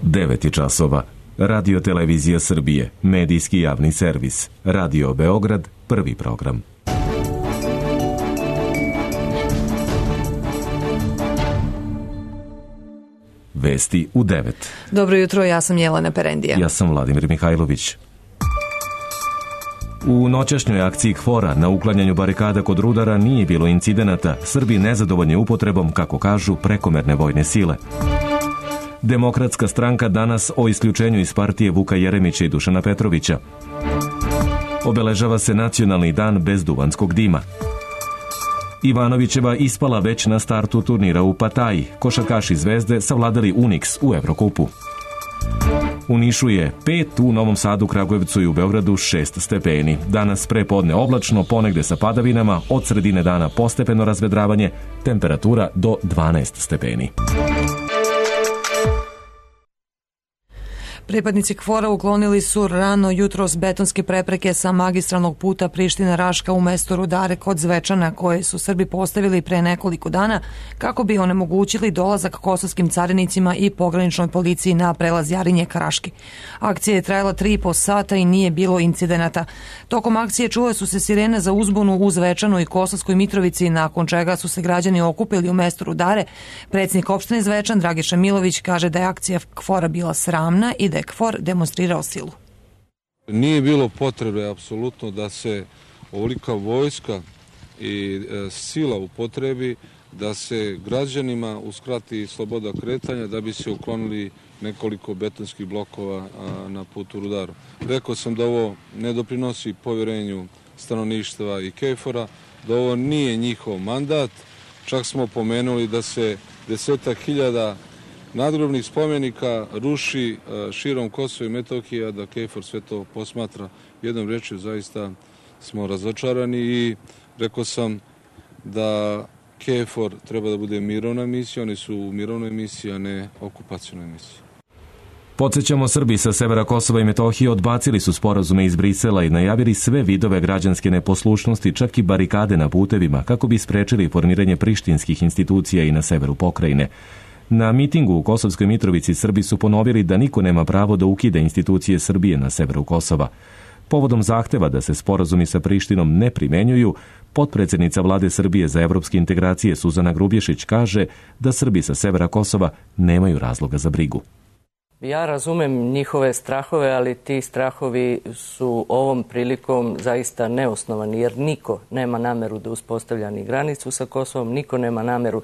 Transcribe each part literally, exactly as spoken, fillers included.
devet je časova. Radio Televizija Srbije, medijski javni servis. Radio Beograd, prvi program. Vesti u devet. Dobro jutro, ja sam Jelena Perendija. Ja sam Vladimir Mihajlović. U noćašnjoj akciji KFOR-a na uklanjanju barikada kod Rudara nije bilo incidenata. Srbi nezadovoljni upotrebom, kako kažu, prekomerne vojne sile. Demokratska stranka danas o isključenju iz partije Vuka Jeremića i Dušana Petrovića. Obeležava se nacionalni dan bez duvanskog dima. Ivanovićeva ispala već na startu turnira u Pataji. Košarkaši Zvezde savladali Unix u Evrokupu. U Nišu je pet, u Novom Sadu, Kragujevcu i u Beogradu šest stepeni. Danas prepodne oblačno, ponegde sa padavinama, od sredine dana postepeno razvedravanje, temperatura do dvanaest stepeni. Pripadnici KFOR-a uklonili su rano jutros betonske prepreke sa magistralnog puta Priština-Raška u mesto Rudare kod Zvečana, koje su Srbi postavili pre nekoliko dana kako bi onemogućili dolazak kosovskim carinicima i pograničnoj policiji na prelaz Jarinje-Karaški. Akcija je trajala tri i po sata i nije bilo incidenata. Tokom akcije čule su se sirene za uzbunu u Zvečanu i Kosovskoj Mitrovici, nakon čega su se građani okupili u mestu Rudare. Predsjednik opštine Zvečan, Dragiša Milović, kaže da je akcija KFOR-a bila sramna i da je KFOR demonstrirao silu. Nije bilo potrebe apsolutno da se ovolika vojska i e, sila upotrebi, da se građanima uskrati sloboda kretanja da bi se uklonili nekoliko betonskih blokova a, na putu Rudaru. Rekao sam da ovo ne doprinosi povjerenju stanovništva i KFOR-a, da ovo nije njihov mandat. Čak smo pomenuli da se desetak hiljada nadgrobnih spomenika ruši širom Kosova i Metohije, a da KFOR sve to posmatra. Jednom rečju zaista smo razočarani i rekao sam da KFOR treba da bude mirovna misija, oni su u mirovnoj misiji, a ne okupacionoj misiji. Podsjećamo, Srbi sa severa Kosova i Metohije odbacili su sporazume iz Brisela i najavili sve vidove građanske neposlušnosti, čak i barikade na putevima, kako bi sprečili formiranje prištinskih institucija i na severu pokrajine. Na mitingu u Kosovskoj Mitrovici Srbi su ponovili da niko nema pravo da ukide institucije Srbije na severu Kosova. Povodom zahteva da se sporazumi sa Prištinom ne primenjuju, potpredsednica Vlade Srbije za evropske integracije Suzana Grubješić kaže da Srbi sa severa Kosova nemaju razloga za brigu. Ja razumem njihove strahove, ali ti strahovi su ovom prilikom zaista neosnovani, jer niko nema nameru da uspostavlja ni granicu sa Kosovom, niko nema nameru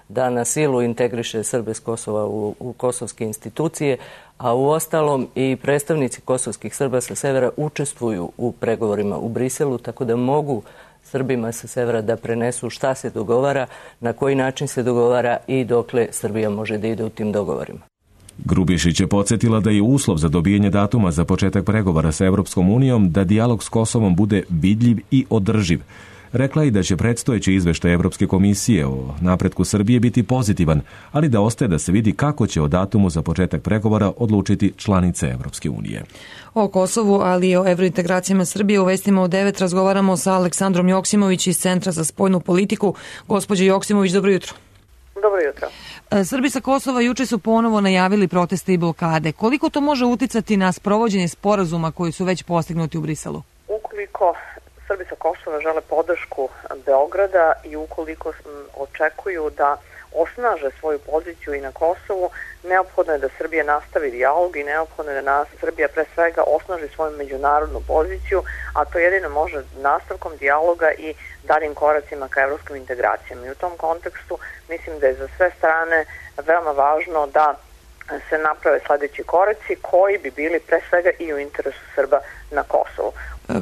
da na silu integriše Srbe s Kosova u, u kosovske institucije, a u ostalom i predstavnici kosovskih Srba sa severa učestvuju u pregovorima u Briselu, tako da mogu Srbima sa severa da prenesu šta se dogovara, na koji način se dogovara i dokle Srbija može da ide u tim dogovorima. Grubješić je podsjetila da je uslov za dobijanje datuma za početak pregovora sa Evropskom unijom da dijalog s Kosovom bude vidljiv i održiv. Rekla je da će predstojeći izveštaj Evropske komisije o napretku Srbije biti pozitivan, ali da ostaje da se vidi kako će o datumu za početak pregovora odlučiti članice Evropske unije. O Kosovu, ali i o evrointegracijama Srbije u vestima u devet razgovaramo sa Aleksandrom Joksimović iz Centra za spoljnu politiku. Gospođo Joksimović, dobro jutro. Dobro jutro. Srbi sa Kosova juče su ponovo najavili proteste i blokade. Koliko to može uticati na sprovođenje sporazuma koji su već postignuti u Briselu? Ukoliko Srbi sa Kosova žele podršku Beograda i ukoliko očekuju da osnaže svoju poziciju i na Kosovu, neophodno je da Srbija nastavi dijalog i neophodno je da Srbija pre svega osnaži svoju međunarodnu poziciju, a to jedino može nastavkom dijaloga i daljim koracima ka evropskim integracijama. I u tom kontekstu mislim da je za sve strane veoma važno da se naprave sledeći koraci koji bi bili pre svega i u interesu Srba na Kosovu.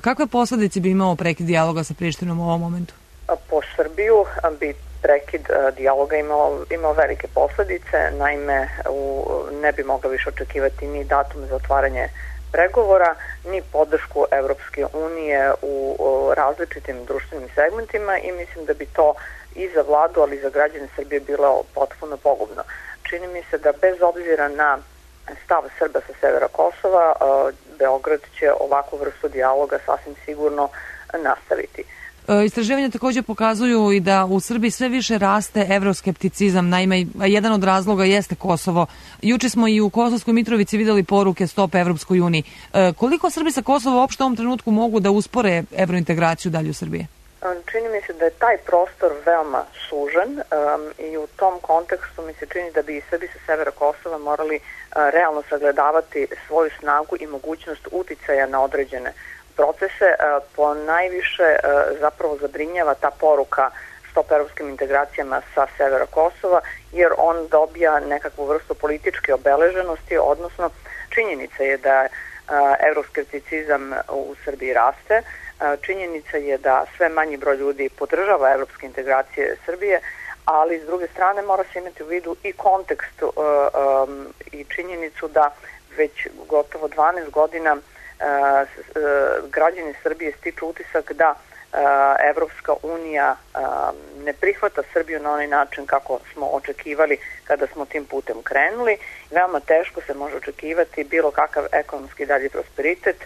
Kakve posledice bi imao prekid dijaloga sa Prištinom u ovom momentu? Po Srbiju bi prekid dijaloga imao, imao velike posledice, naime u, ne bi mogla više očekivati ni datum za otvaranje pregovora, ni podršku Evropske unije u, u različitim društvenim segmentima i mislim da bi to i za vladu, ali i za građane Srbije bilo potpuno pogubno. Čini mi se da bez obzira na stav Srba sa severa Kosova, Beograd će ovakvu vrstu dijaloga sasvim sigurno nastaviti. Istraživanja također pokazuju i da u Srbiji sve više raste evroskepticizam. Naime, jedan od razloga jeste Kosovo. Juče smo i u Kosovskoj Mitrovici videli poruke Stop Evropskoj uniji. Koliko Srbi sa Kosova uopšte u ovom trenutku mogu da uspore evrointegraciju dalje u Srbije? Čini mi se da je taj prostor veoma sužen um, i u tom kontekstu mi se čini da bi i Srbi sa severa Kosova morali uh, realno sagledavati svoju snagu i mogućnost uticaja na određene procese. Uh, po najviše uh, zapravo zabrinjava ta poruka Stop evropskim integracijama sa severa Kosova, jer on dobija nekakvu vrstu političke obeleženosti, odnosno činjenica je da uh, evroskepticizam u Srbiji raste. Činjenica je da sve manji broj ljudi podržava evropske integracije Srbije, ali s druge strane mora se imati u vidu i kontekst uh, um, i činjenicu da već gotovo dvanaest godina uh, uh, građani Srbije stiču utisak da uh, Evropska unija uh, ne prihvata Srbiju na onaj način kako smo očekivali kada smo tim putem krenuli. Veoma teško se može očekivati bilo kakav ekonomski dalji prosperitet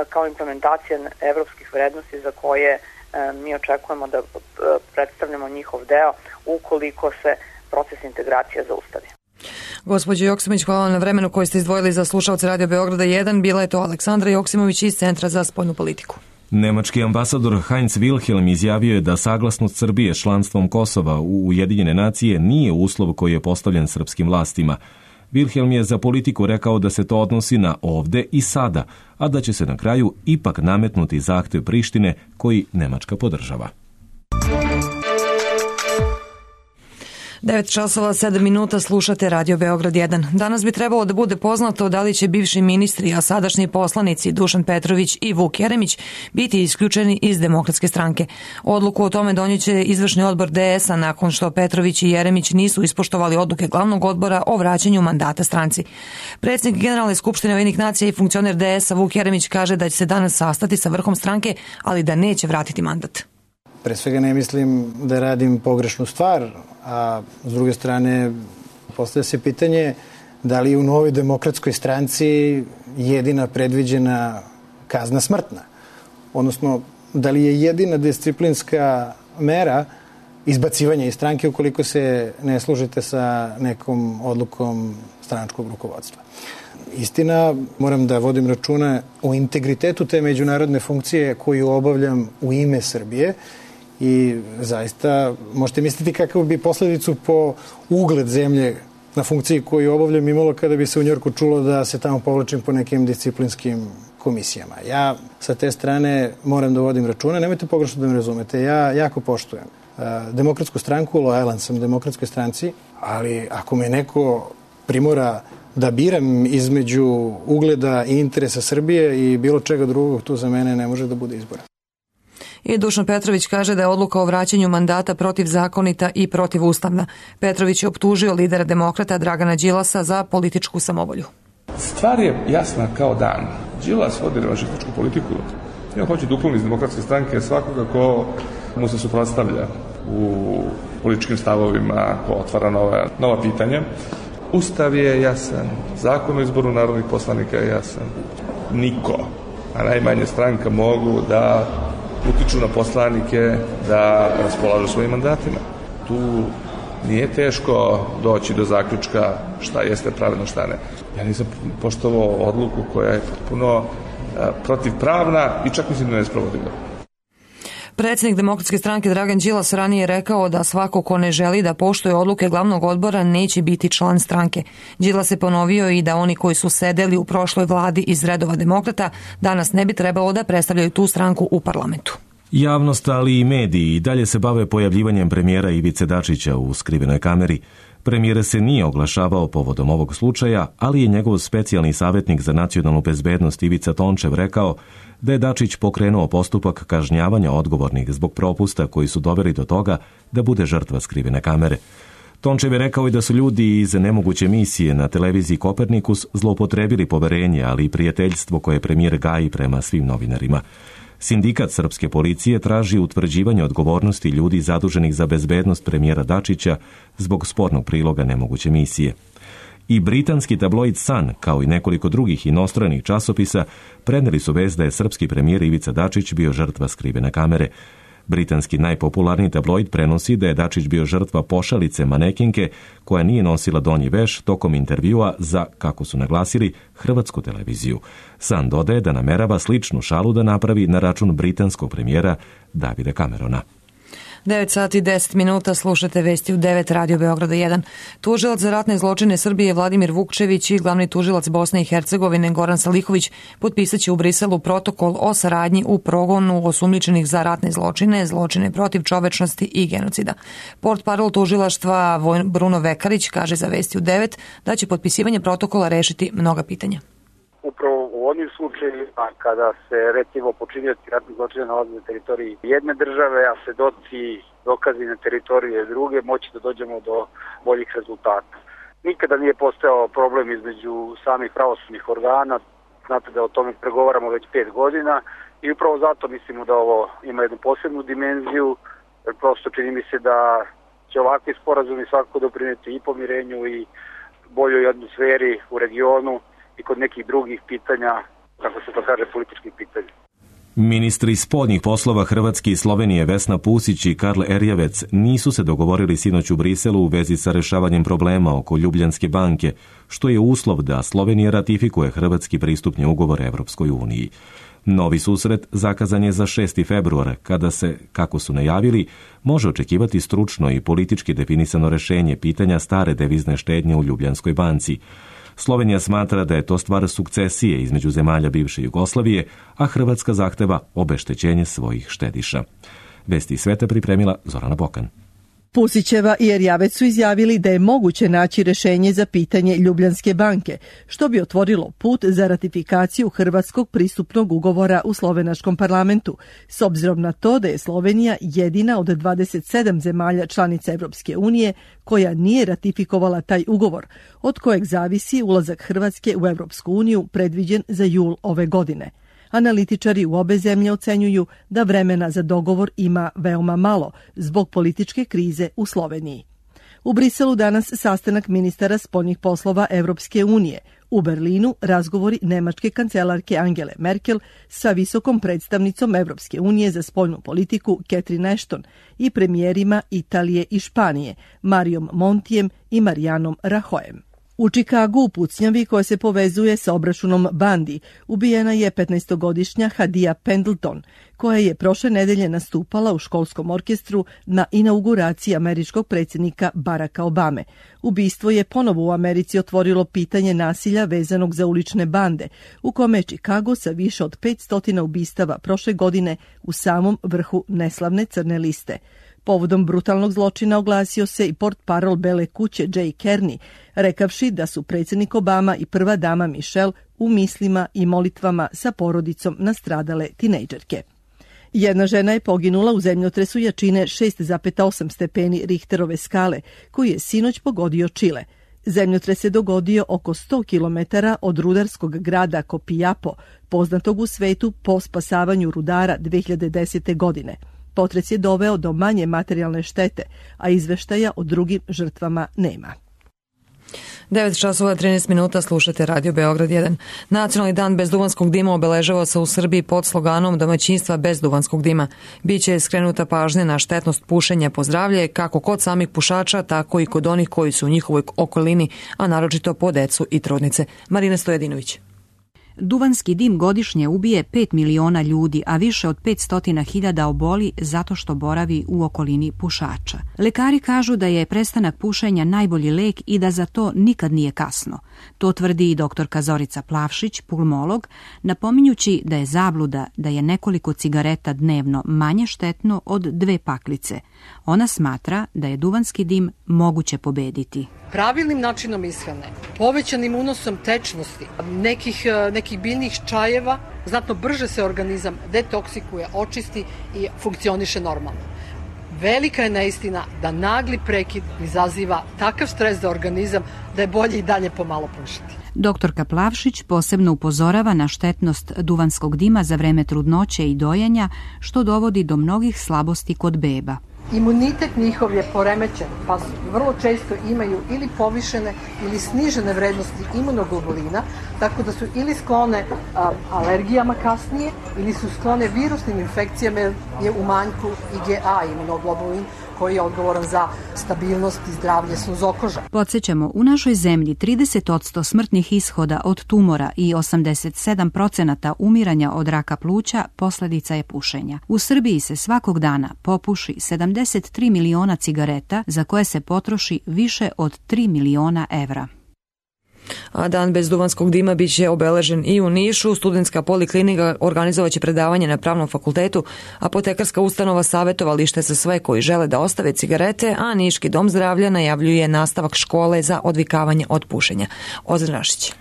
kao implementacija evropskih vrednosti za koje e, mi očekujemo da e, predstavljamo njihov deo ukoliko se proces integracija zaustavi. Gospođo Joksimović, hvala na vremenu koje ste izdvojili za slušalce Radio Beograda jedan. Bila je to Aleksandra Joksimović iz Centra za spoljnu politiku. Nemački ambasador Heinz Wilhelm izjavio je da saglasnost Srbije s članstvom Kosova u Ujedinjene nacije nije uslov koji je postavljen srpskim vlastima. Wilhelm je za Politiku rekao da se to odnosi na ovde i sada, a da će se na kraju ipak nametnuti zahtev Prištine koji Nemačka podržava. devet časova sedam minuta, slušate Radio Beograd jedan. Danas bi trebalo da bude poznato da li će bivši ministri, a sadašnji poslanici Dušan Petrović i Vuk Jeremić biti isključeni iz Demokratske stranke. Odluku o tome donijeće izvršni odbor D S-a nakon što Petrović i Jeremić nisu ispoštovali odluke glavnog odbora o vraćanju mandata stranci. Predsjednik Generalne skupštine Ujedinjenih nacija i funkcioner D S-a Vuk Jeremić kaže da će se danas sastati sa vrhom stranke, ali da neće vratiti mandat. Pre svega ne mislim da radim pogrešnu stvar, a s druge strane postavlja se pitanje da li je u Novoj demokratskoj stranci jedina predviđena kazna smrtna. Odnosno, da li je jedina disciplinska mera izbacivanja iz stranke ukoliko se ne služite sa nekom odlukom stranačkog rukovodstva. Istina, moram da vodim računa o integritetu te međunarodne funkcije koju obavljam u ime Srbije i zaista možete misliti kakav bi posledicu po ugled zemlje na funkciji koju obavljam imalo kada bi se u Njorku čulo da se tamo povlačim po nekim disciplinskim komisijama. Ja sa te strane moram da vodim računa, nemojte pogrešno da me razumete, ja jako poštujem Demokratsku stranku, lojalan sam Demokratskoj stranci, ali ako me neko primora da biram između ugleda i interesa Srbije i bilo čega drugog, tu za mene ne može da bude izbora. I Dušan Petrović kaže da je odluka o vraćanju mandata protivzakonita i protivustavna. Petrović je optužio lidera demokrata Dragana Đilasa za političku samovolju. Stvar je jasna kao dan. Đilas vodi revanšističku politiku. Ja hoće da ukloni iz Demokratske stranke svakoga ko mu se suprotstavlja u političkim stavovima, ko otvara nova, nova pitanja. Ustav je jasan, zakon o izboru narodnih poslanika je jasan. Niko, a najmanje stranka, mogu da utiču na poslanike da raspolažu svojim mandatima. Tu nije teško doći do zaključka šta jeste pravilno, šta ne. Ja nisam poštovao odluku koja je potpuno protivpravna i čak mislim da ne sprovodila. Predsjednik Demokratske stranke Dragan Đilas ranije je rekao da svako ko ne želi da poštuje odluke glavnog odbora neće biti član stranke. Đilas je ponovio i da oni koji su sedeli u prošloj vladi iz redova demokrata danas ne bi trebalo da predstavljaju tu stranku u parlamentu. Javnost, ali i mediji i dalje se bave pojavljivanjem premijera Ivice Dačića u skrivenoj kameri. Premijer se nije oglašavao povodom ovog slučaja, ali je njegov specijalni savjetnik za nacionalnu bezbednost Ivica Tončev rekao da je Dačić pokrenuo postupak kažnjavanja odgovornih zbog propusta koji su doveli do toga da bude žrtva skrivene kamere. Tončev je rekao i da su ljudi iz nemoguće misije na televiziji Kopernikus zloupotrebili poverenje, ali i prijateljstvo koje premijer gaji prema svim novinarima. Sindikat srpske policije traži utvrđivanje odgovornosti ljudi zaduženih za bezbednost premijera Dačića zbog spornog priloga nemoguće misije. I britanski tabloid Sun, kao i nekoliko drugih inostranih časopisa, preneli su vest da je srpski premijer Ivica Dačić bio žrtva skrivene kamere. Britanski najpopularniji tabloid prenosi da je Dačić bio žrtva pošalice manekinke koja nije nosila donji veš tokom intervjua za, kako su naglasili, hrvatsku televiziju. Sun dodaje da namerava sličnu šalu da napravi na račun britanskog premijera Davida Camerona. devet sati i deset minuta, slušate vesti u devet Radio Beograda jedan. Tužilac za ratne zločine Srbije Vladimir Vukčević i glavni tužilac Bosne i Hercegovine Goran Salihović potpisat će u Briselu protokol o saradnji u progonu osumnjičenih za ratne zločine, zločine protiv čovečnosti i genocida. Portparol tužilaštva Bruno Vekarić kaže za vesti u devet da će potpisivanje protokola rešiti mnoga pitanja. Upravo u onim slučajevima kada se recimo počinioci ratnih zločina nalaze na teritoriji jedne države, a svedoci dokazi na teritoriji druge, moći da dođemo do boljih rezultata. Nikada nije postojao problem između samih pravosudnih organa, znate da o tome pregovaramo već pet godina i upravo zato mislimo da ovo ima jednu posebnu dimenziju, jer prosto čini mi se da će ovakvi sporazumi svakako doprineti i pomirenju i boljoj atmosferi u regionu i kod nekih drugih pitanja, kako se to kaže, političkih pitanja. Ministri spoljnih poslova Hrvatske i Slovenije Vesna Pusić i Karl Erjavec nisu se dogovorili sinoć u Briselu u vezi sa rešavanjem problema oko Ljubljanske banke, što je uslov da Slovenija ratifikuje hrvatski pristupni ugovor Evropskoj uniji. Novi susret zakazan je za šesti februar, kada se, kako su najavili, može očekivati stručno i politički definisano rešenje pitanja stare devizne štednje u Ljubljanskoj banci. Slovenija smatra da je to stvar sukcesije između zemalja bivše Jugoslavije, a Hrvatska zahteva obeštećenje svojih štediša. Vesti sveta pripremila Zorana Bokan. Pusićeva i Erjavec su izjavili da je moguće naći rešenje za pitanje Ljubljanske banke, što bi otvorilo put za ratifikaciju hrvatskog pristupnog ugovora u slovenačkom parlamentu, s obzirom na to da je Slovenija jedina od dvadeset sedam zemalja članica Evropske unije koja nije ratifikovala taj ugovor, od kojeg zavisi ulazak Hrvatske u Evropsku uniju predviđen za jul ove godine. Analitičari u obe zemlje ocenjuju da vremena za dogovor ima veoma malo zbog političke krize u Sloveniji. U Briselu danas sastanak ministara spoljnih poslova Evropske unije. U Berlinu razgovori nemačke kancelarke Angele Merkel sa visokom predstavnicom Evropske unije za spoljnu politiku Catherine Ashton i premijerima Italije i Španije Marijom Montijem i Marijanom Rajoyem. U Čikagu u pucnjavi koja se povezuje sa obračunom bandi ubijena je petnaestogodišnja Hadija Pendleton, koja je prošle nedelje nastupala u školskom orkestru na inauguraciji američkog predsjednika Baracka Obame. Ubistvo je ponovo u Americi otvorilo pitanje nasilja vezanog za ulične bande, u kome je Čikago sa više od petsto ubistava prošle godine u samom vrhu neslavne crne liste. Povodom brutalnog zločina oglasio se i portparol Bele kuće Jay Carney, rekavši da su predsjednik Obama i prva dama Michelle u mislima i molitvama sa porodicom nastradale tinejdžerke. Jedna žena je poginula u zemljotresu jačine šest zarez osam stepeni Richterove skale, koji je sinoć pogodio Čile. Zemljotres se dogodio oko sto kilometara od rudarskog grada Copiapo, poznatog u svetu po spasavanju rudara dve hiljade desete. godine. Potres je doveo do manje materijalne štete, a izveštaja o drugim žrtvama nema. devet časova trinaest minuta, slušate Radio Beograd jedan. Nacionalni dan bez duvanskog dima obeležava se u Srbiji pod sloganom domaćinstva bez duvanskog dima. Biće skrenuta pažnja na štetnost pušenja po zdravlje, kako kod samih pušača, tako i kod onih koji su u njihovoj okolini, a naročito po decu i trudnice. Marina Stojadinović. Duvanski dim godišnje ubije pet miliona ljudi, a više od petsto hiljada oboli zato što boravi u okolini pušača. Lekari kažu da je prestanak pušenja najbolji lek i da za to nikad nije kasno. To tvrdi i doktorka Zorica Plavšić, pulmolog, napominjući da je zabluda da je nekoliko cigareta dnevno manje štetno od dve paklice. Ona smatra da je duvanski dim moguće pobediti. Pravilnim načinom ishrane, povećanim unosom tečnosti, nekih, nekih biljnih čajeva, znatno brže se organizam detoksikuje, očisti i funkcioniše normalno. Velika je neistina da nagli prekid izaziva takav stres za organizam da je bolje i dalje pomalo pušiti. Doktorka Plavšić posebno upozorava na štetnost duvanskog dima za vreme trudnoće i dojenja, što dovodi do mnogih slabosti kod beba. Imunitet njihov je poremećen, pa vrlo često imaju ili povišene ili snižene vrednosti imunoglobulina, tako da su ili sklone a, alergijama kasnije, ili su sklone virusnim infekcijama, jer je u manjku I G A imunoglobulin, koji je odgovoran za stabilnost i zdravlje sluzokoža. Podsjećamo, u našoj zemlji trideset posto smrtnih ishoda od tumora i osamdeset sedam procenata umiranja od raka pluća posledica je pušenja. U Srbiji se svakog dana popuši sedamdeset tri miliona cigareta za koje se potroši više od tri miliona evra. A dan bez duvanskog dima bit će obeležen i u Nišu. Studentska poliklinika organizovaće predavanje na Pravnom fakultetu, apotekarska ustanova savjetovalište za sve koji žele da ostave cigarete, a Niški dom zdravlja najavljuje nastavak škole za odvikavanje od pušenja. Ozren Rašić.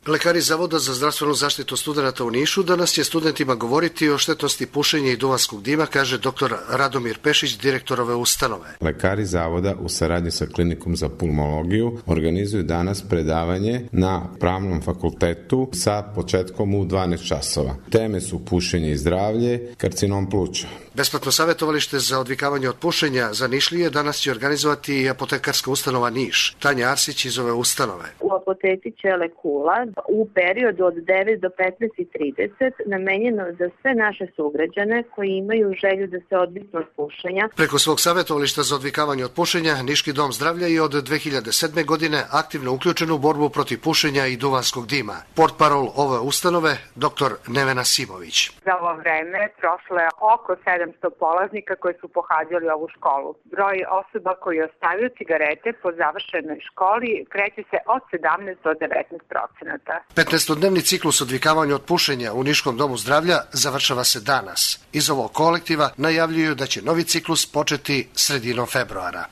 Lekari Zavoda za zdravstvenu zaštitu studenata u Nišu danas će studentima govoriti o štetnosti pušenja i duvanskog dima, kaže dr. Radomir Pešić, direktor ove ustanove. Lekari Zavoda u saradnji sa klinikom za pulmologiju organizuju danas predavanje na Pravnom fakultetu sa početkom u dvanaest časova. Teme su pušenje i zdravlje, karcinom pluća. Besplatno savjetovalište za odvikavanje od pušenja za Nišlije danas će organizovati i apotekarska ustanova Niš. Tanja Arsić iz ove ustanove. U apoteci Čelekula u periodu od devet do petnaest i trideset namenjeno za sve naše sugrađane koji imaju želju da se odviknu od pušenja. Preko svog savjetovališta za odvikavanje od pušenja, Niški dom zdravlja je od dve hiljade sedme. godine aktivno uključen u borbu protiv pušenja i duvanskog dima. Portparol ove ustanove, dr. Nevena Simović. Za ovo vreme prošlo je oko sedamsto polaznika koji su pohađali ovu školu. Broj osoba koji ostavio cigarete po završenoj školi kreće se od sedamnaest do devetnaest procenata. petnaestodnevni ciklus odvikavanja od pušenja u Niškom domu zdravlja završava se danas. Iz ovog kolektiva najavljuju da će novi ciklus početi sredinom februara.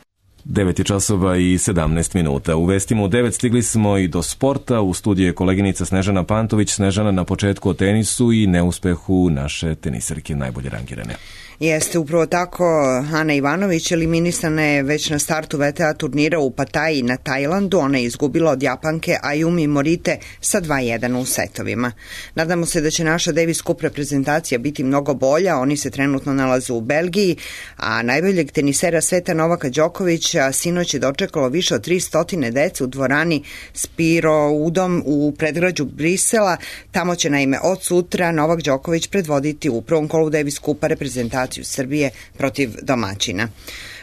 devet časova i sedamnaest minuta. U vestima u devet stigli smo i do sporta. U studiju je koleginica Snežana Pantović. Snežana, na početku o tenisu i neuspehu naše tenisarke najbolje rangirane. Jeste upravo tako. Ana Ivanović eliminisana je već na startu V T A turnira u Pataji na Tajlandu. Ona je izgubila od Japanke Ayumi Morite sa dva jedan u setovima. Nadamo se da će naša Davis Cup reprezentacija biti mnogo bolja. Oni se trenutno nalaze u Belgiji, a najboljeg tenisera sveta Novaka Đokovića sinoć je dočekalo više od tristo dece u dvorani Spiro Udom u predgrađu Brisela. Tamo će naime od sutra Novak Đoković predvoditi u prvom kolu Davis Cupa reprezentacije Srbije protiv domaćina.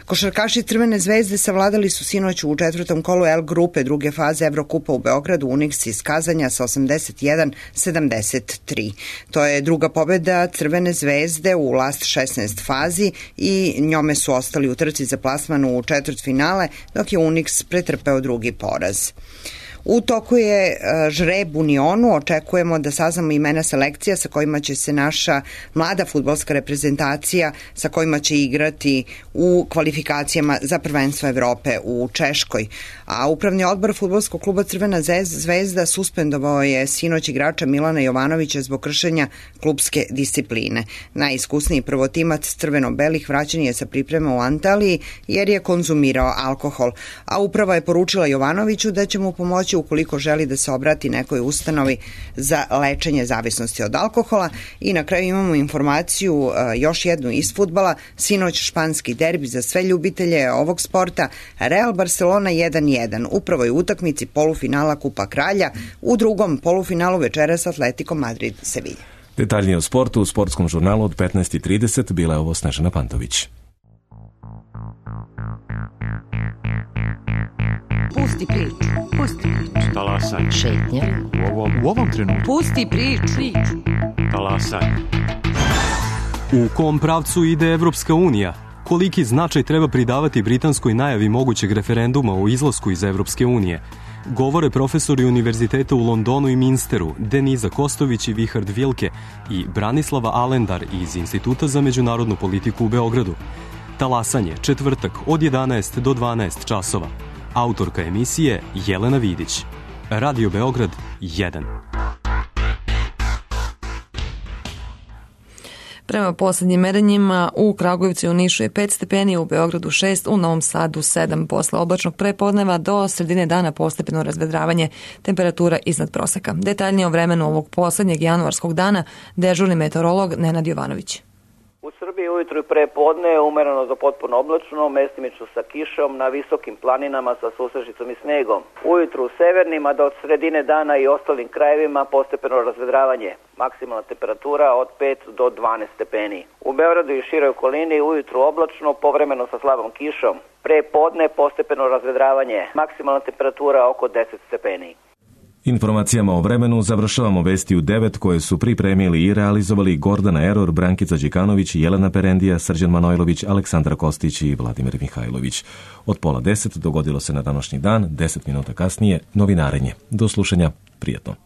Košarkaši Crvene zvezde savladali su sinoć u četvrtom kolu L grupe druge faze Evrokupa u Beogradu Unix iz Kazanja sa osamdeset jedan sedamdeset tri. To je druga pobjeda Crvene zvezde u last šesnaest fazi i njome su ostali u trci za plasman u četvrtfinale, dok je Unix pretrpeo drugi poraz. U toku je žreb u Nionu, očekujemo da saznamo imena selekcija sa kojima će se naša mlada fudbalska reprezentacija, sa kojima će igrati u kvalifikacijama za prvenstvo Evrope u Češkoj. A upravni odbor fudbalskog kluba Crvena zvezda suspendovao je sinoć igrača Milana Jovanovića zbog kršenja klubske discipline. Najiskusniji prvotimac crveno-belih vraćen je sa priprema u Antaliji jer je konzumirao alkohol. A uprava je poručila Jovanoviću da će mu pomoći ukoliko želi da se obrati nekoj ustanovi za lečenje zavisnosti od alkohola. I na kraju imamo informaciju još jednu iz fudbala. Sinoć španski derbi za sve ljubitelje ovog sporta. Real Barcelona jedan jedan. Upravo je u utakmici polufinala Kupa Kralja. U drugom polufinalu večeras Atletico Madrid Sevilla. Detaljnije o sportu u sportskom žurnalu od petnaest i trideset. Bila je ovo Snežana Pantović. Pusti priču, pusti priču. Talasaj. Šetnja. U ovom, u ovom trenutku. Pusti priču. Talasaj. U kom pravcu ide Evropska unija? Koliki značaj treba pridavati britanskoj najavi mogućeg referenduma o izlasku iz Evropske unije? Govore profesori univerziteta u Londonu i Minsteru, Deniza Kostović i Vihard Vilke i Branislava Alendar iz Instituta za međunarodnu politiku u Beogradu. Talasanje, četvrtak od jedanaest do dvanaest časova. Autorka emisije Jelena Vidić. Radio Beograd jedan. Prema poslednjim merenjima u Kragujevcu i u Nišu je pet stepeni, u Beogradu šest, u Novom Sadu sedam. Posle oblačnog prepodneva do sredine dana postepeno razvedravanje, temperatura iznad proseka. Detaljnije o vremenu ovog poslednjeg januarskog dana dežurni meteorolog Nenad Jovanović. U Srbiji ujutru i pre podne umereno do potpuno oblačno, mestimično sa kišom na visokim planinama sa susežicom i snegom. Ujutru u severnim, a do sredine dana i ostalim krajevima postepeno razvedravanje. Maksimalna temperatura od pet do dvanaest stepeni. U Beogradu i široj okolini ujutru oblačno, povremeno sa slabom kišom. Pre podne postepeno razvedravanje. Maksimalna temperatura oko deset stepeni. Informacijama o vremenu završavamo vesti u devet koje su pripremili i realizovali Gordana Eror, Brankica Đikanović, Jelena Perendija, Srđan Manojlović, Aleksandra Kostić i Vladimir Mihajlović. Od pola deset dogodilo se na današnji dan, deset minuta kasnije, novinarenje. Do slušanja, prijatno.